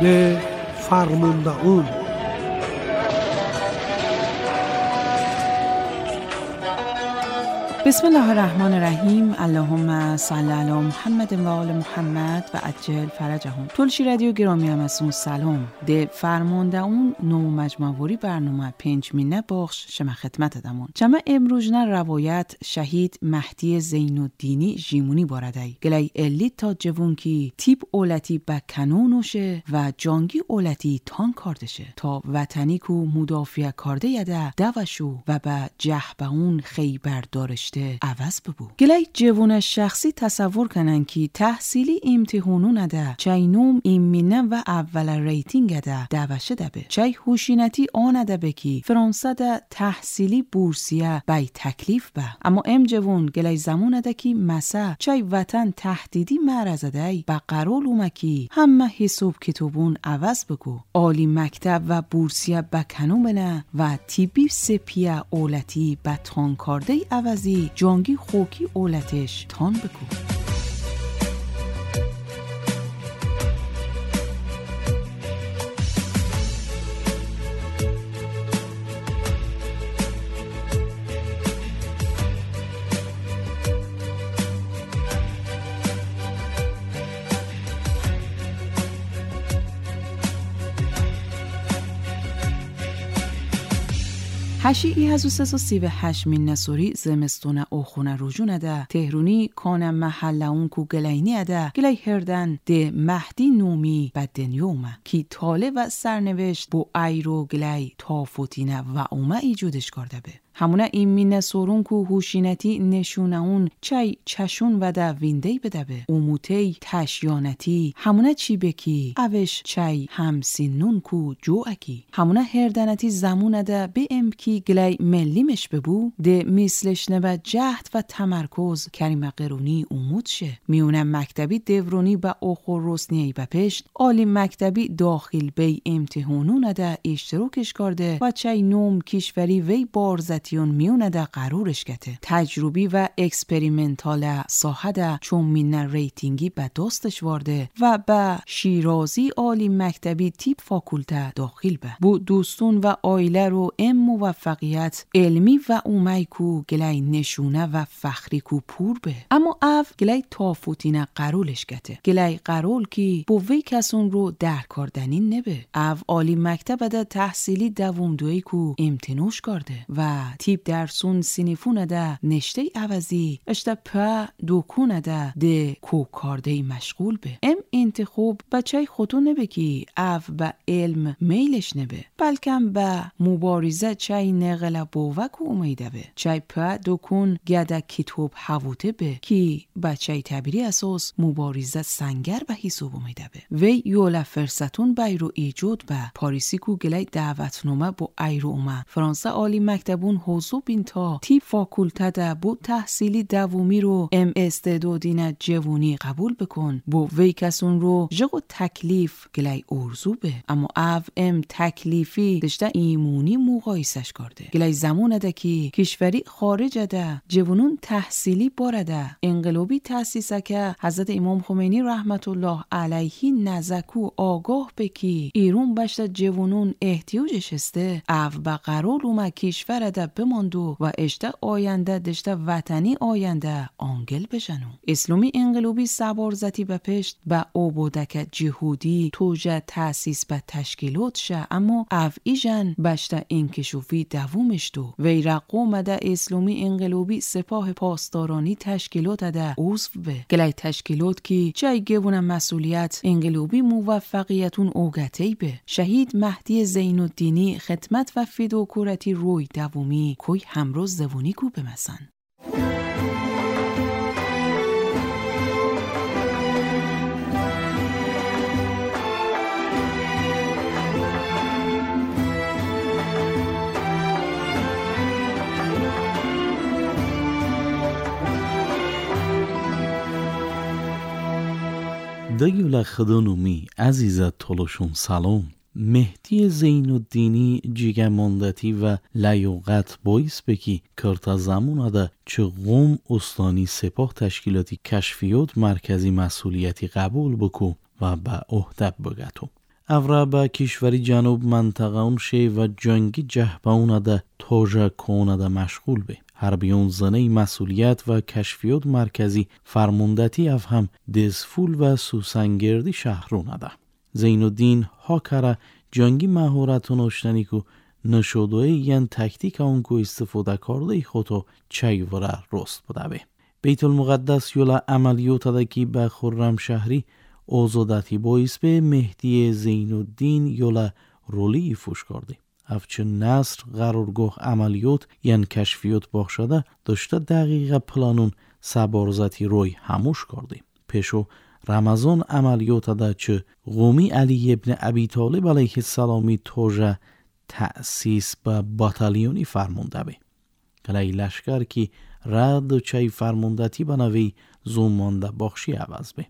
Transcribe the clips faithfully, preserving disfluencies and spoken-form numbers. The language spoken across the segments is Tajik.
ده فرمونده‌اون. بسم الله الرحمن الرحیم. اللهم صل علی محمد و آل محمد و عجل فرجهم. تلشی رادیو گرامی هم از اون سلام. ده فرمانده اون نو مجموعه برنامه پنج مینه بخش شما خدمت دمون. چما امروز نه روایت شهید مهدی زین‌الدینی ژیمونی باردای. گلی الی تا جوون کی تیپ اولتی با کنونوشه و جانگی اولتی تان کاردشه تا وطنی کو مدافع کارده یده دوشو و با جهبه اون خیبر دارش عوض ببو. گلی جوون شخصی تصور کنن که تحصیلی امتحانو نده چای نوم ایمینه و اول ریتینگ ده دوشه ده چای هوشینتی آنده به کی فرانسه ده تحصیلی بورسیه بی تکلیف به. اما ام جوون گلی زمان ده کی مسا چای وطن تهدیدی معرض ده با قرار اومکی همه حساب کتابون عوض بگو. عالی مکتب و بورسیه بکنو بنه و تیبی سپیه اولتی به تانکارده عوضی جانگی خوکی اولتش تان بکو. هشی ای هزو سه سی و هشت من نسوری زمستون اوخونه رجونه ده تهرونی کان محله اون کو گلینی اده گلی هردن ده مهدی نومی بدنیومه کی تاله و سرنوشت بو ایرو گلی تافوتینه و اومه ایجودش کرده به. همونه این مینه سورون کو هوشینتی نشونه اون چای چشون و ده ویندهی بده به اوموتی تشیانتی همونه چی بکی اوش چای همسینون کو جو اکی همونه هردنتی زمونه ده به ام کی گلی ملیمش ببو ده مثلش نبه جهد و تمرکز کریم قرونی اومود شه میونه مکتبی دورونی به اوخور رسنیی به پشت عالی مکتبی داخل بی امتحانون ده اشتراکش کرده و چای نوم کشوری وی بارزت میونه ده قرارش گته تجربی و اکسپریمنتال ساحه ده چون مینه ریتینگی به دستش وارده و به شیرازی عالی مکتبی تیپ فاکولته داخل به بو دوستون و آیله رو ام موفقیت علمی و اومی کو گلی نشونه و فخری کو پور به. اما او گلی تافوتینه قرولش گته گلی قرول کی بو وی کسون رو در کاردنی نبه. او عالی مکتب ده تحصیلی دوم دوی کو امتنوش کرده و تیپ درسون سینیفون ده نشته عوضی اشته پا دوکون ده ده کو کارده مشغول به. ام انتخاب بچه خودو نبه کی او به علم میلش نبه بلکم به مبارزه چای نغل بوک اومیده به چای پا دوکون گده کتاب حووته به کی بچه تبیری اساس مبارزه سنگر به حساب اومیده به. وی یوله فرصتون بیرو ایجاد به پاریسی کو گلی دعوتنامه با ایرو اومه فرانسه عالی مکتبون حضور بین تا تیپ فاکولته ده بو تحصیلی دومی رو ام استعدادین جوونی قبول بکن بو وی کسون رو جغو تکلیف گلی ارزو به. اما او ام تکلیفی دشته ایمونی مقایسش کرده گلی زمان ده کی کشوری خارج ده جوونون تحصیلی بارده انقلابی تأسیسه که حضرت امام خمینی رحمت الله علیه نزکو آگاه بکی ایرون بشته جوونون احتیاجش هسته او به قرار اومه کشور ده بماندو و اشته آینده دشته وطنی آینده آنگل بشنو. اسلامی انقلابی سبارزتی به پشت به اوبودک جهودی توجه تأسیس به تشکیلات شه اما او ایجن بشته انکشوفی دوومش دو وی رقم ده اسلامی انقلابی سپاه پاسدارانی تشکیلات ده عضو به گلی تشکیلات کی چای گوونه مسئولیت انقلابی موفقیتون اوگتی به. شهید مهدی زین‌الدینی خدمت و فداکارتی روی دومی کوی همروز زوونی کو بمسن. دگیولا خدانومی عزیزت تولوشون سلام. مهدی زین‌الدینی جیگماندتی و لیاقت باعث بکی کرتا زمان ده چه قوم استانی سپاه تشکیلاتی کشفیات مرکزی مسئولیتی قبول بکو و به عهده بگتو. افرا به کشوری جنوب منطقه اون شه و جنگی جهبه ده توجه کونه ده مشغول به. حربیون زنه مسئولیت و کشفیات مرکزی فرماندهی اف هم دزفول و سوسنگردی شهرونه ده. زین الدین ها جنگی مهارتون اشتنی کو نشودوی ین تکتیک اون کو استفاده کرده خودو چیوره رست بوده به. بیت المقدس یولا عملیات ده که به خرم شهری آزادتی باعث به مهدی زین الدین یولا رولی فوش کرده. افچه نصر قرارگاه عملیات ین کشفیات باخشده داشته دقیقه پلانون سبارزتی روی هموش کرده. پیشو رمضان عملیات ده چه قومی علی ابن ابی طالب علیه السلامی توجه تأسیس به باتالیونی فرمونده به. گلی لشکر که رد چای فرموندتی بنوی زومانده باخشی عوض به.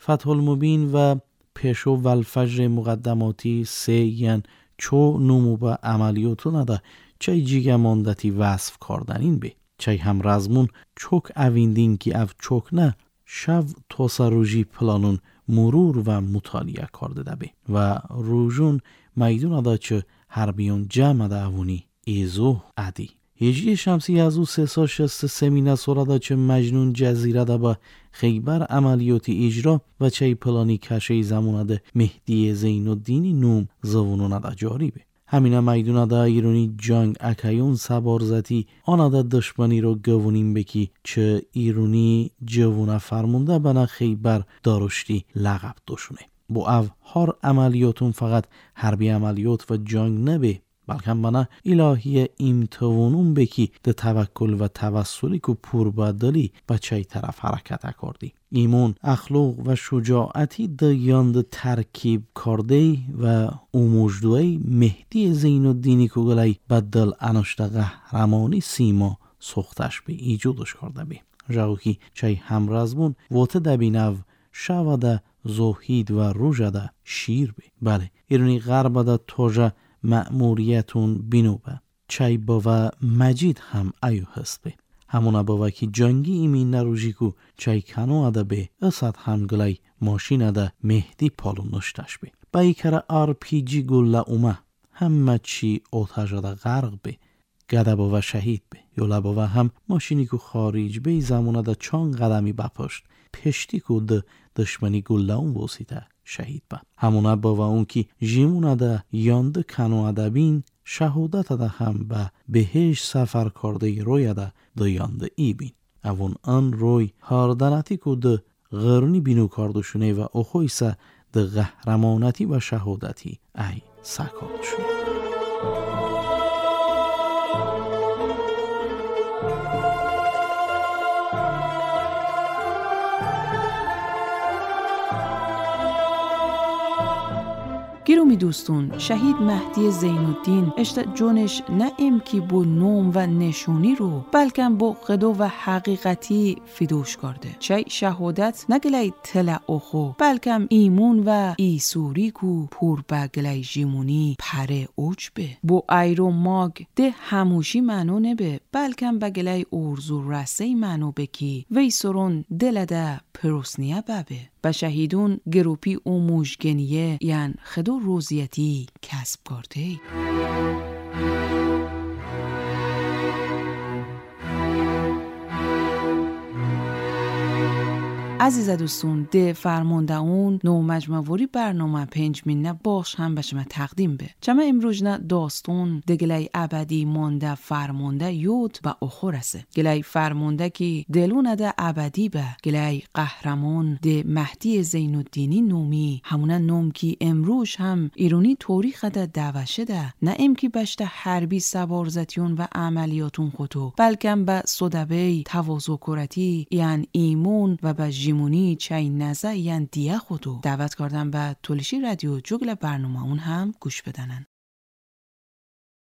فتح المبین و پیشو و الفجر مقدماتی سه ین چو نمو به عملیاتو نده چای جیگه ماندتی وصف کردنین به. چای هم رزمون چوک اویندین که او چوک نه شو توسا روژی پلانون مرور و مطالعه کرده ده به. و روژون میدون ده چه حربیون جمع ده اونی ایزو عدی. هجری شمسی از او سه سا شست سمینه سورده چه مجنون جزیره ده با خیبر عملیاتی اجرا و چه پلانی کشه زمانه ده مهدی زین الدینی نوم زوانونه ده جاری به. همینه میدونه ده ایرانی جنگ اکیون سبارزتی آنه ده دشمنی رو گوونیم بکی چه ایرانی جوونه فرمونده بنا خیبر دارشتی لقب دوشونه. با او هر عملیاتون فقط حربی عملیات و جنگ نبه بلکه بنا الهی امتوانون بکی ده توکل و توسلی که پور بدلی به چه طرف حرکت کردی. ایمان، اخلاق و شجاعتی ده یاند ترکیب کرده و اموجدوی مهدی زین الدینی که گلی بدل انشته قهرمانی سیما ساختش به ایجادش کرده به. جاوکی چای همرزمون وات دبینو شوده زهید و روژده شیر به. بله ایرانی غرب ده توجه مأموریتون بینو به. چای باوا مجید هم ایو هست به. همونا باوا که جنگی ایمین نروژی کو چای کنو اده به اسد هم گلی ماشین اده مهدی پالو نشتش به. با ایکره آر پی جی گله اومه همه چی آتش اده غرق به. گده باوا شهید به. یولا باوا هم ماشینی کو خارج به زمان اده چند قدمی بپشت پشتی کو ده دشمنی گله اون واسیده شهید به. همونا باوا اون که جیمون اده یانده کنو اده بین شهادت اده هم به بهش سفر کرده روی اده ده یانده ای بین. اون آن روی هاردنتی که ده غرنی بینو کردشونه و اخویسه ده قهرمانتی و شهادتی ای سکاردشونه. گیرومی دوستون، شهید مهدی زین الدین اشت جونش نه امکی بو نوم و نشونی رو بلکم با قدو و حقیقتی فیدوش کرده. چه شهادت نگلی تل اخو بلکم ایمون و ایسوری کو پور بگلی جیمونی پره اوج به. بو ایرو ماگ ده هموشی منو نبه بلکم بگلی ارزو رسه منو بکی وی سرون دل ده پروسنیه ببه. و شهیدون گروپی او موشگنیه یعنی خدو روزیتی کسب کرده. عزیز دوستون، ده فرمانده اون نو مجموعی برنامه پنج مینه باش هم به شما تقدیم به. چما امروز نه داستون دگلی ابدی مانده فرمانده یود و اخورسه. گلی فرمانده که دلونه ده ابدی به گلی قهرمان ده مهدی زین الدینی نومی همونه نوم که امروز هم ایرونی تاریخ ده دوشه ده نه ام که بشته حربی سوارزتیون و عملیاتون خودو بلکم به صدبه تواضع کرتی یعنی ایمون و به جیمونی چای نزه یعنی دیه خودو دعوت کردم به تولشی رادیو جوگل برنامه اون هم گوش بدنن.